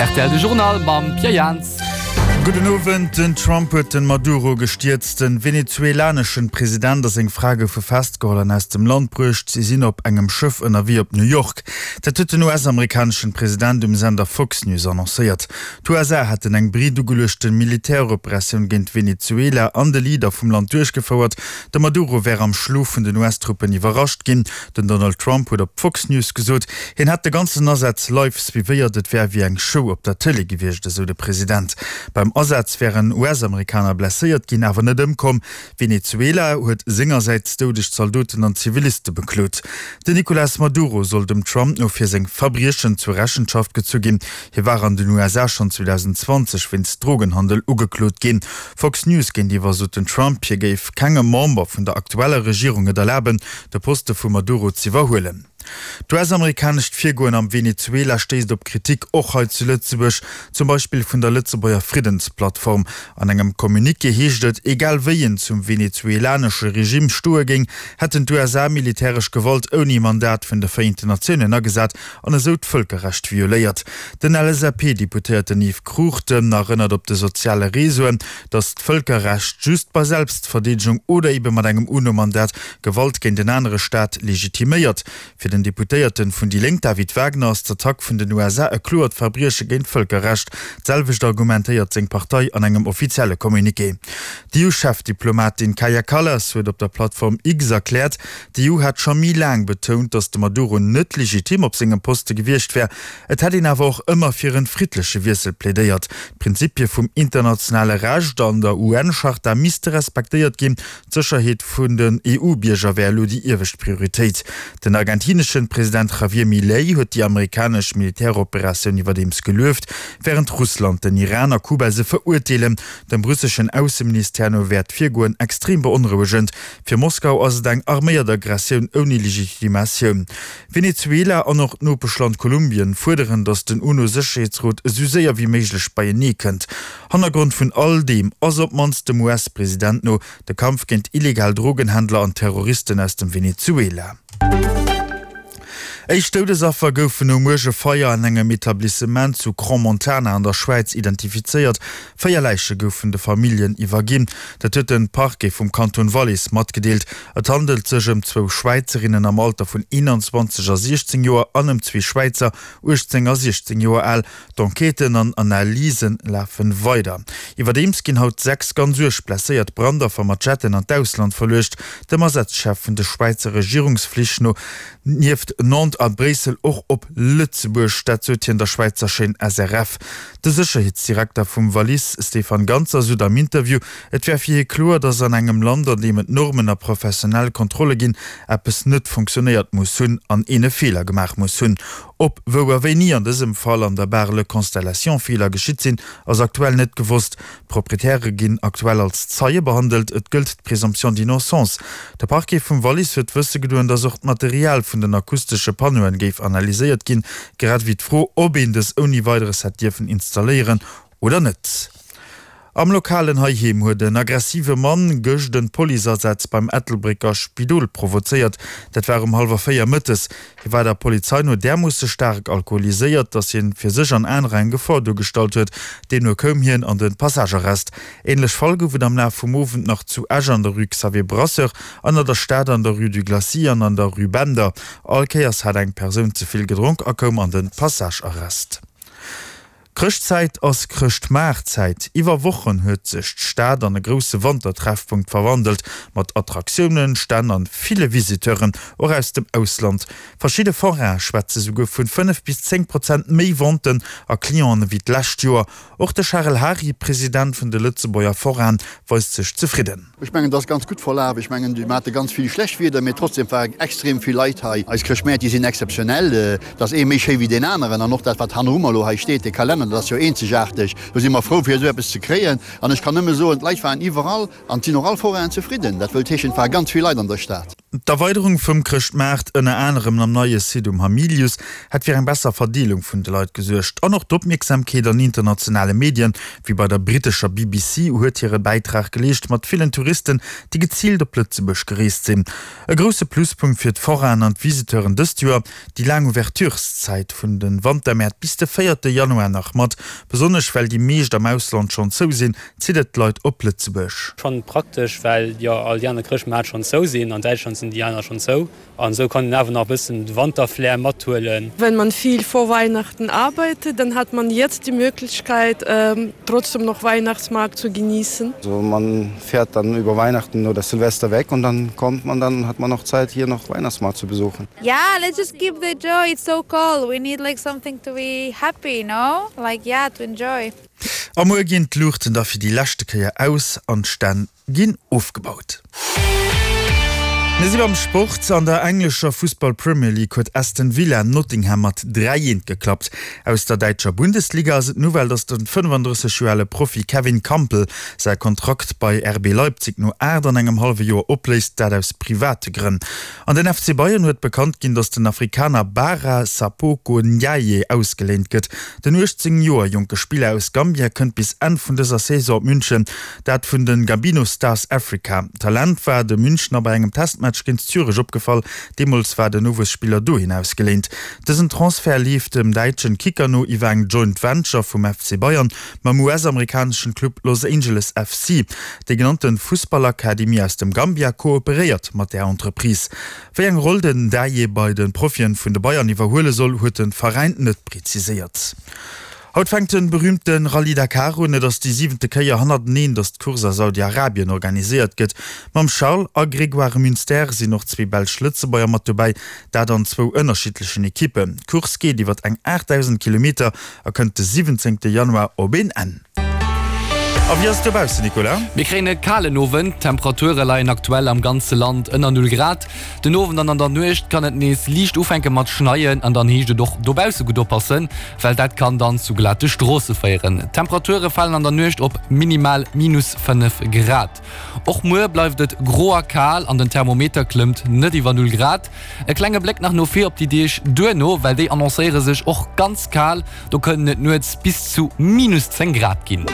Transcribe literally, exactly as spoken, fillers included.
Rtl de Journal mam Pierre Jans. Gudden Owend, Den Trump huet den Maduro gestierzt. Den venezuelaneschen President a seng Fra goufe festgeholl an aus dem Land bruecht. Si sinn op engem Schëff ënnerwee op New York. Dat huet den U S-amerikaneschen President um Sender Fox News annoncéiert. D'U S A hätten eng breet ugeluechte Militäroperatioun géint Venezuela an de Leader vum Land duerchgefouert. De Maduro wär am Schlof vun den U S-Truppen iwwerrascht ginn. Den Donald Trump huet op Fox News gesot, hien hätt de ganzen Asaz live suivéiert. Et wär wéi eng Show op der Tëlee gewiescht, esou de President. Beim Asaz wären U S-Amerikaner blesséiert ginn, awer net ëmkomm. Venezuela huet sengersäits doudeg Zaldoten an Ziviliste beklot. Den Nicolas Maduro soll dem Trump no fir seng Verbriechen zur Rechenschaft gezu ginn. Hie war an den U S A schonn zweedausenzwanzeg wéinst Drogenhandel ugeklot ginn. Fox News géintiwwer sot den Trump, hie géif kengem Member vun der aktueller Regierung et erlaben, de Poste vum Maduro z'iwwerhuelen. D'U S-amerikanescht Virgoen am Venezuela stéisst op Kritik, och hei zu Lëtzebuerg, zum Beispill vun der Lëtzebuerger Friddensplattform. An engem Communiqué heescht et, egal wéi een zum venezuelanesche Regime stoe géing, hätten d'U S A militäresch Gewalt ouni Mandat vun de Vereenten Natiounen agesat an esou d'Vëlkerrecht violéiert. Den L S A P-Deputéierten Yves Cruchten erënnert op de soziale Reseauen, datt d'Vëlkerrecht just bei Selbstverdeedegung oder ebe mat engem UNO-Mandat Gewalt géint en anere Staat legitiméiert. Fir den Deputéierten vun déi Lénk David Wagner ass d'Attack vun den U S A e kloert Verbrieche géint d'Vëlkerrecht. D'selwecht argumentéiert seng Partei an engem offizielle Communiqué. D'E U-Chefdiplomatin Kaja Kallas huet op der Plattform X erkläert, d'E U hätt scho méi laang betount, datt de Maduro net legitim op sengem Poste gewiescht wär. Et hätt een awer och ëmmer fir e friddleche Wiessel plädéiert. D'Prinzipie vum internationale Recht an der U N-Charta misste respektéiert ginn. D'Sécherheet vun den E U-Bierger wär elo déi iewescht Prioritéit. Den argentineschen President Javier Milei huet déi amerikanesch Militäroperatioun iwwerdeems gelueft, wärend Russland, den Iran a Kuba se verurteelen. Dem russeschen Ausseministère no wär d'Virgoen extrem beonrouegend. Fir Moskau ass et eng arméiert Aggressioun ouni Legitimatioun. Venezuela an och d'Nopeschland Kolumbien fuerderen, datt den UNO-Sécherheetsrot esou séier wéi méiglech beienee kënnt. Hannergrond vun all deem ass op d'mannst dem U S-President no de Kampf géint illegal Drogenhändler an Terroristen aus dem Venezuela. Éischt Doudesaffer goufen um Muerge Feier an engem Etablissement zu Crans-Montana an der Schwäiz identifizéiert. Véier Läiche goufen de Familljen iwwerginn. Dat huet de Parquet vum Kanton Wallis matgedeelt. Et handelt sech ëm zwou Schwäizerinnen am Alter vun eenanzwanzeg a siechzéng Joer an ëm zwee Schwäizer, uechtzéng a siechzéng Joer al. D'Enquêten an Analyse lafe weider. Iwwerdeems ginn haut sechs ganz uerg blesséiert Brandaffer mat Jetten an d'Ausland verluecht. Dem Asazchef vun de Schwäizer Regierungsflich no nieft Nantes a Bréissel och op Lëtzebuerg, dat sot hien der Schwäizer Chaîne S R F. De Sécherheetsdirekter vum Wallis, Stefan Ganzer, sot am Interview, et wär fir hie kloer, datt an engem Land, an deem et Normen a professionell Kontrolle ginn, eppes net funktionéiert muss hunn an een e Feeler gemaach muss hunn. Ob, wou a wéini an dësem Fall an der Bar Le Constellation Feeler geschitt sinn, ass aktuell net gewosst. D'Proprietäre ginn aktuell als Zeie behandelt, et gëllt d'Présomption d'innocence. De Parquet vum Wallis huet wësse gedoen, datt och d'Material vun den akustesche Panneauen géif analyséiert ginn, grad ewéi d'Fro, ob een dës ouni Weideres hätt dierfen installéieren oder net. Am Lokalen heiheem huet en aggressive Mann gëscht en Policeasaz beim Ettelbrécker Spidol provozéiert. Dat war um hallwer véier mëttes. Hie war der Polizei no därmoosse staark alkoholiséiert, datt hien fir sech an anerer eng Gefor duergestallt huet. Deemno koum hien an de Passagearrest. Änlech Fäll gouf et am Laf vum Owend nach zu Esch an der Rue Xavier Brasseur, an an der Stad an der Rue du Glacis an an der Rue Bender. All Kéiers hat eng Persoun ze vill gedronk a koum an de Passagearrest. Chrëschtzäit ass Chrëschtmaartzäit. Iwwer Wochen huet sech d'Stad an e grousse Wantertreffpunkt verwandelt, mat Attraktiounen, Stänn an ville Visiteuren, och aus dem Ausland. Verschidde Foraine schwätze souguer vun fënnef bis zéng Prozent méi Venten a Clienten ewéi d'lescht Joer. Och de Charel Hary, President vun de Lëtzebuerger Forainen, weist sech zefridden. Ech mengen, dat ass ganz gutt verlaf. Ech mengen, mir hate ganz vill schlecht Wieder, mee trotzdem war extrem vill Leit hei. Eis Chrëschtmäert, déi sinn exzeptionell. Dat ass ee méi schéi wéi deen aneren. An och dat, wat hanneru mer elo hei steet, de Kalenner, dat ass jo eenzegaarteg. Do si mer frou, fir esou eppes ze kréien. An ech kann nëmme soen, d'Leit waren iwwerall an et sinn och all Forainen zefridden. Dat wëllt heeschen, et ware ganz vill Leit an der Stad. D'Erweiderung vum Chrëschtmaart, ënner anerem am neie Site um Hamilius, hätt fir eng besser Verdeelung vun de Leit gesuergt. An och d'Opmierksamkeet an internationale Medien, wéi bei der brittescher B B C, huet hire Bäitrag geleescht, mat villen Touristen, déi geziilt op Lëtzebuerg gereest sinn. E grousse Pluspunkt fir d'Forainen an d'Visiteuren dëst Joer, déi laang Ouvertureszäit vun de Wantermäert bis de véierte Januar nach mat. Besonnesch well déi meescht am Ausland schonn zou sinn, zitt et d'Leit op Lëtzebuerg. Schonn praktesch, well jo all déi aner Chrëschtmäert schonn zou sinn. An Däitschland sinn déi aner schonn zou an esou kann een awer nach e bëssen de Wanterflair mathuelen. Wenn man viel vor Weihnachten arbeitet, dann hat man jetzt die Möglichkeit, ähm, trotzdem noch Weihnachtsmarkt zu genießen. Also man fährt dann über Weihnachten oder Silvester weg und dann kommt man dann hat man noch Zeit, hier noch Weihnachtsmarkt zu besuchen. Yeah, let's just keep the joy. It's so cold. We need like something to be happy, no? Like yeah, to enjoy. A muer ginn d'Luuchten da fir déi leschte Kéier aus an d'Stänn ginn ofgebaut. Mir si beim Sport. An der englescher Fussball Premier League huet Aston Villa Nottingham mat dräi eent geklappt. Aus der däitscher Bundesliga ass et d'Nouvelle, datt de fënnefandrësseg Joer ale Profi Kevin Kampl säi Kontrakt bei R B Leipzig no aacht an engem hallwe Joer opléist, dat aus private Grënn. An den F C Bayern huet bekannt ginn, datt den Afrikaner Bara Sapoko Ndiaye ausgeléint gëtt. Den uechtzéng Joer jonke Spiller aus Gambia kënnt bis Enn vun dëser Saison op München, dat vun de Gambino Stars Africa. D'Talent war de Münchner bei engem Testmatch géint Zürich opgefall, deemools war den Nowuesspiller dohin ausgeléint. Dësen Transfert leeft dem däitschen Kicker no iwwer eng Joint Venture vum F C Bayern mam U S-amerikaneschen Club Los Angeles F C. Déi genannte Fussballakademie aus dem Gambia kooperéiert mat der Entreprise. Wéi eng Roll den Ndiaye bei de Profien vun de Bayern iwwerhuele soll, huet de Veräin net präziséiert. Haut fänkt de berüümte Rallye Dakar un. Et ass déi siwente Kéier hannerteneen, datt d'Course a Saudi-Arabien organiséiert gëtt. Mam Charles a Grégoire Munster sinn och zwee belsch Lëtzebuerger mat dobäi, dat an zwou ënnerschiddlechen Ekippen. D'Course geet iwwer eng aachtdausend Kilometer a kënnt de siwwenzéngte Januar op een Enn. A wéi ass et dobaussen, Nicolas? Mir kréien e kalen Owend, d'Temperature leien aktuell am ganze Land ënner null Grad. Den Owend an an der Nuecht kann et nees liicht ufänke mat schneien an dann heescht et och dobausse gutt oppassen, well dat kann dann zu glate Stroosse féieren. D'Temperature falen an der Nuecht op minimal minus fënnef Grad. Och muer bleift et gro a kal an den Thermometer klëmmt net iwwer null Grad. E klenge Bléck nach no vir op déi Deeg duerno, well déi annoncéiere sech och ganz kal, do kënnen et nuets bis zu minus zéng Grad ginn.